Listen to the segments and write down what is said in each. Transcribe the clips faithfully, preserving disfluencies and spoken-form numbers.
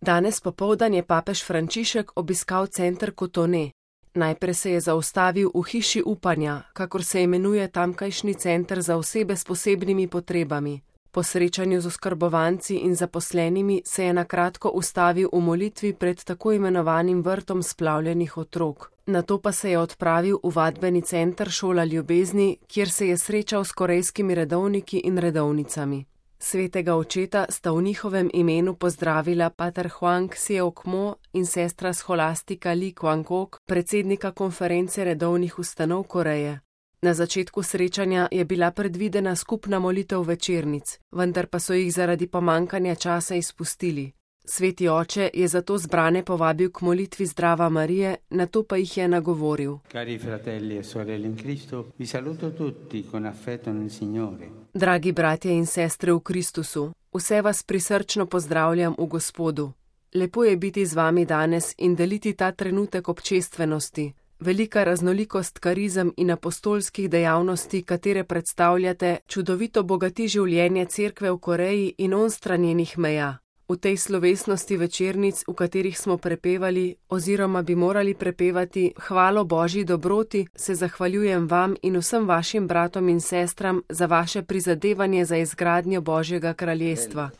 Danes popoldan je papež Frančišek obiskal center Cotonou. Najprej se je zaustavil v hiši upanja, kakor se imenuje tamkajšnji center za osebe s posebnimi potrebami. Po srečanju z oskrbovanci in zaposlenimi se je na kratko ustavil v molitvi pred tako imenovanim vrtom splavljenih otrok. Nato pa se je odpravil v vadbeni center Šola ljubezni, kjer se je srečal s korejskimi redovniki in redovnicami. Svetega očeta sta v njihovem imenu pozdravila pater Huang Seok-mo in sestra scholastika Li Kwang-ok, predsednika konference redovnih ustanov Koreje. Na začetku srečanja je bila predvidena skupna molitev večernic, vendar pa so jih zaradi pomankanja časa izpustili. Sveti oče je zato zbrane povabil k molitvi Zdrava Marije, nato pa jih je nagovoril. Cari fratelli e sorelle in Cristo, vi saluto tutti con affetto nel Signore. Dragi bratje in sestre v Kristusu, vse vas prisrčno pozdravljam v Gospodu. Lepo je biti z vami danes in deliti ta trenutek občestvenosti. Velika raznolikost karizem in apostolskih dejavnosti, katere predstavljate, čudovito bogati življenje cerkve v Koreji in onstran njenih meja. V tej slovesnosti večernic, v katerih smo prepevali oziroma bi morali prepevati hvalo Božji dobroti, se zahvaljujem vam in vsem vašim bratom in sestram za vaše prizadevanje za izgradnjo Božjega kraljestva.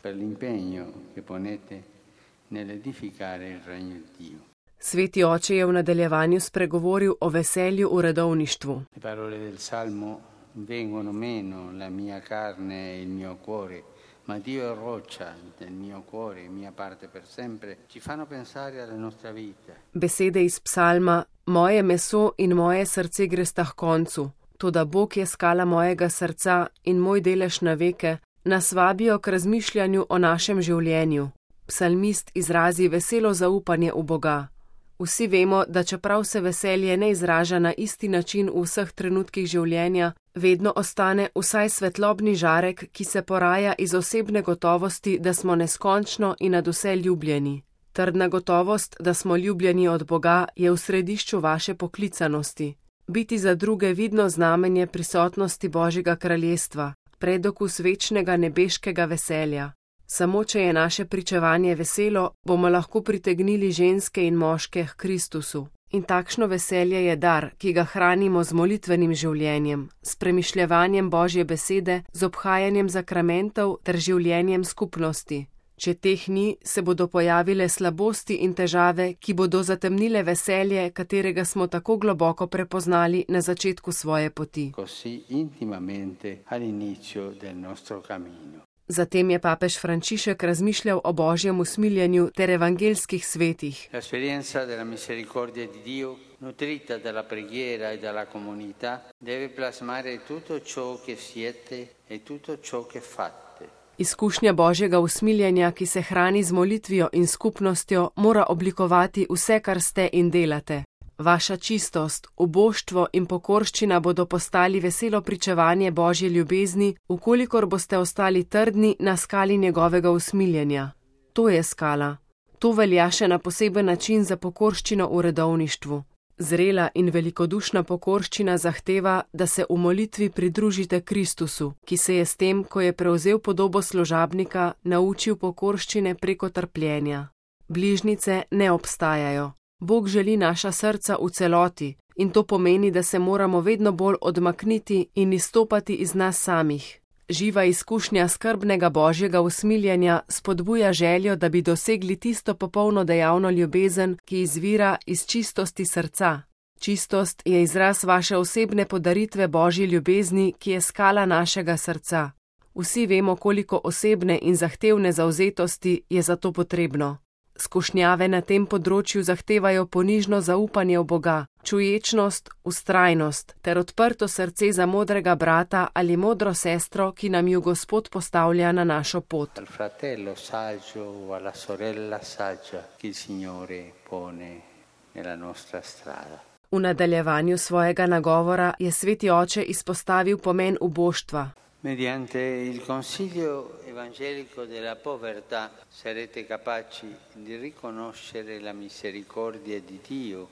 Sveti oče je v nadaljevanju spregovoril o veselju v redovništvu. Ma Dio è roccia del mio cuore, mia parte per sempre, ci fanno pensare alla nostra vita. Besede iz psalma: Moje meso in moje srce gresta h koncu, toda Bog je skala mojega srca in moj delež na veke, nas vabijo k razmišljanju o našem življenju. Psalmist izrazi veselo zaupanje v Boga. Vsi vemo, da čeprav se veselje ne izraža na isti način v vseh trenutkih življenja, vedno ostane vsaj svetlobni žarek, ki se poraja iz osebne gotovosti, da smo neskončno in nadvse ljubljeni. Trdna gotovost, da smo ljubljeni od Boga, je v središču vaše poklicanosti. Biti za druge vidno znamenje prisotnosti Božjega kraljestva, predokus večnega nebeškega veselja. Samo če je naše pričevanje veselo, bomo lahko pritegnili ženske in moške k Kristusu. In takšno veselje je dar, ki ga hranimo z molitvenim življenjem, s premišljevanjem Božje besede, z obhajanjem zakramentov ter življenjem skupnosti. Če teh ni, se bodo pojavile slabosti in težave, ki bodo zatemnile veselje, katerega smo tako globoko prepoznali na začetku svoje poti. Zatem je papež Frančišek razmišljal o Božjem usmiljenju ter evangelskih svetih. L'esperienza della misericordia di Dio, nutrita dalla preghiera e dalla comunità, deve plasmare tutto ciò che siete e tutto ciò che fate. Izkušnja Božjega usmiljenja, ki se hrani z molitvijo in skupnostjo, mora oblikovati vse, kar ste in delate. Vaša čistost, uboštvo in pokorščina bodo postali veselo pričevanje Božje ljubezni, ukolikor boste ostali trdni na skali njegovega usmiljenja. To je skala. To velja še na poseben način za pokorščino v redovništvu. Zrela in velikodušna pokorščina zahteva, da se v molitvi pridružite Kristusu, ki se je s tem, ko je prevzel podobo služabnika, naučil pokorščine preko trpljenja. Bližnjice ne obstajajo. Bog želi naša srca v celoti in to pomeni, da se moramo vedno bolj odmakniti in izstopati iz nas samih. Živa izkušnja skrbnega Božjega usmiljenja spodbuja željo, da bi dosegli tisto popolno dejavno ljubezen, ki izvira iz čistosti srca. Čistost je izraz vaše osebne podaritve Božji ljubezni, ki je skala našega srca. Vsi vemo, koliko osebne in zahtevne zavzetosti je za to potrebno. Skušnjave na tem področju zahtevajo ponižno zaupanje v Boga, čuječnost, vztrajnost ter odprto srce za modrega brata ali modro sestro, ki nam ju Gospod postavlja na našo pot. V nadaljevanju svojega nagovora je sveti oče izpostavil pomen uboštva. Mediante il consiglio evangelico della povertà sarete capaci di riconoscere la misericordia di Dio.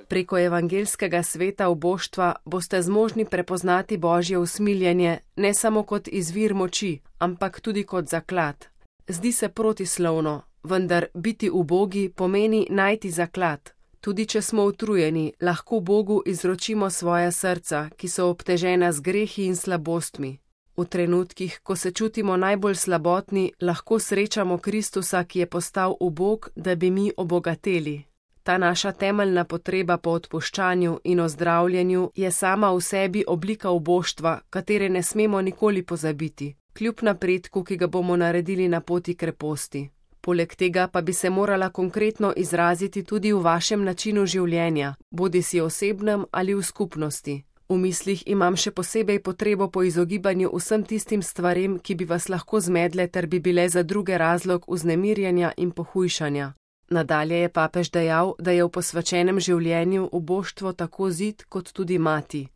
Preko evangelskega sveta uboštva boste zmožni prepoznati Božje usmiljenje ne samo kot izvir moči, ampak tudi kot zaklad. Zdi se protislovno, vendar biti ubogi pomeni najti zaklad. Tudi če smo utrujeni, lahko Bogu izročimo svoja srca, ki so obtežena z grehi in slabostmi. V trenutkih, ko se čutimo najbolj slabotni, lahko srečamo Kristusa, ki je postal ubog, da bi mi obogateli. Ta naša temeljna potreba po odpuščanju in ozdravljenju je sama v sebi oblika uboštva, katere ne smemo nikoli pozabiti, kljub napredku, ki ga bomo naredili na poti kreposti. Poleg tega pa bi se morala konkretno izraziti tudi v vašem načinu življenja, bodisi osebnem ali v skupnosti. V mislih imam še posebej potrebo po izogibanju vsem tistim stvarem, ki bi vas lahko zmedle ter bi bile za druge razlog vznemirjanja in pohujšanja. Nadalje je papež dejal, da je v posvečenem življenju uboštvo tako zid kot tudi mati.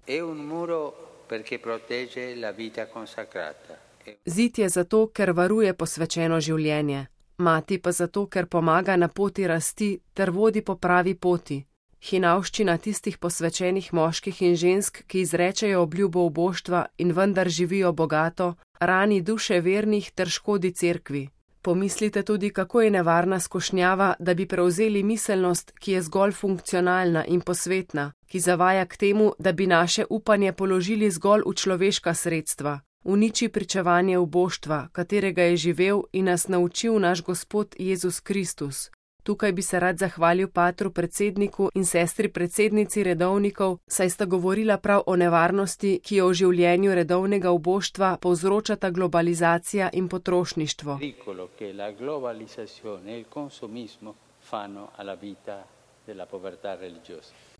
Zid je zato, ker varuje posvečeno življenje, mati pa zato, ker pomaga na poti rasti ter vodi po pravi poti. Hinavščina tistih posvečenih moških in žensk, ki izrečejo obljubo uboštva in vendar živijo bogato, rani duše vernih ter škodi cerkvi. Pomislite tudi, kako je nevarna skušnjava, da bi prevzeli miselnost, ki je zgolj funkcionalna in posvetna, ki zavaja k temu, da bi naše upanje položili zgolj v človeška sredstva. Uniči pričevanje uboštva, katerega je živel in nas naučil naš Gospod Jezus Kristus. Tukaj bi se rad zahvalil patru predsedniku in sestri predsednici redovnikov, saj sta govorila prav o nevarnosti, ki jo v življenju redovnega uboštva povzročata globalizacija in potrošništvo.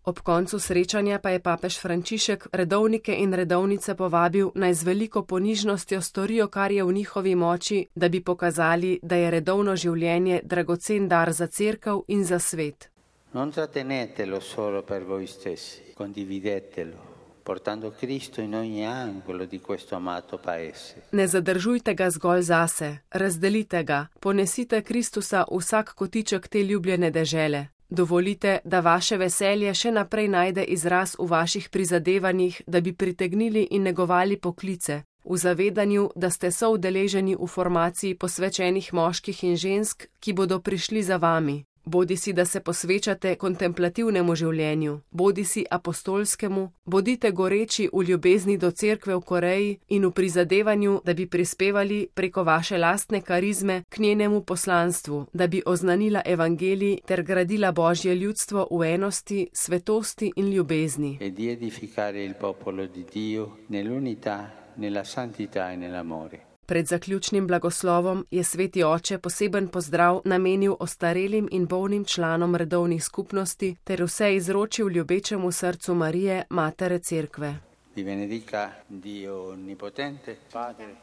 Ob koncu srečanja pa je papež Frančišek redovnike in redovnice povabil, naj z veliko ponižnostjo storijo, kar je v njihovi moči, da bi pokazali, da je redovno življenje dragocen dar za cerkev in za svet. Non trattenetelo solo per voi stessi, condividetelo, portando Cristo in ogni angolo di questo amato paese. Ne zadržujte ga zgolj zase, razdelite ga, ponesite Kristusa v vsak kotiček te ljubljene dežele. Dovolite, da vaše veselje še naprej najde izraz v vaših prizadevanjih, da bi pritegnili in negovali poklice, v zavedanju, da ste soudeleženi v formaciji posvečenih moških in žensk, ki bodo prišli za vami. Bodisi, da se posvečate kontemplativnemu življenju, bodisi apostolskemu, bodite goreči v ljubezni do cerkve v Koreji in v prizadevanju, da bi prispevali preko vaše lastne karizme k njenemu poslanstvu, da bi oznanila evangelij ter gradila Božje ljudstvo v enosti, svetosti in ljubezni. E di edificare il popolo di Dio nell'unità, nella santità e nell'amore. Pred zaključnim blagoslovom je sveti oče poseben pozdrav namenil ostarelim in bolnim članom redovnih skupnosti ter vse izročil ljubečemu srcu Marije, matere cerkve. Vi benedica Dio onnipotente, Padre,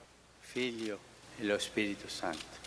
Figlio e lo Spirito Santo.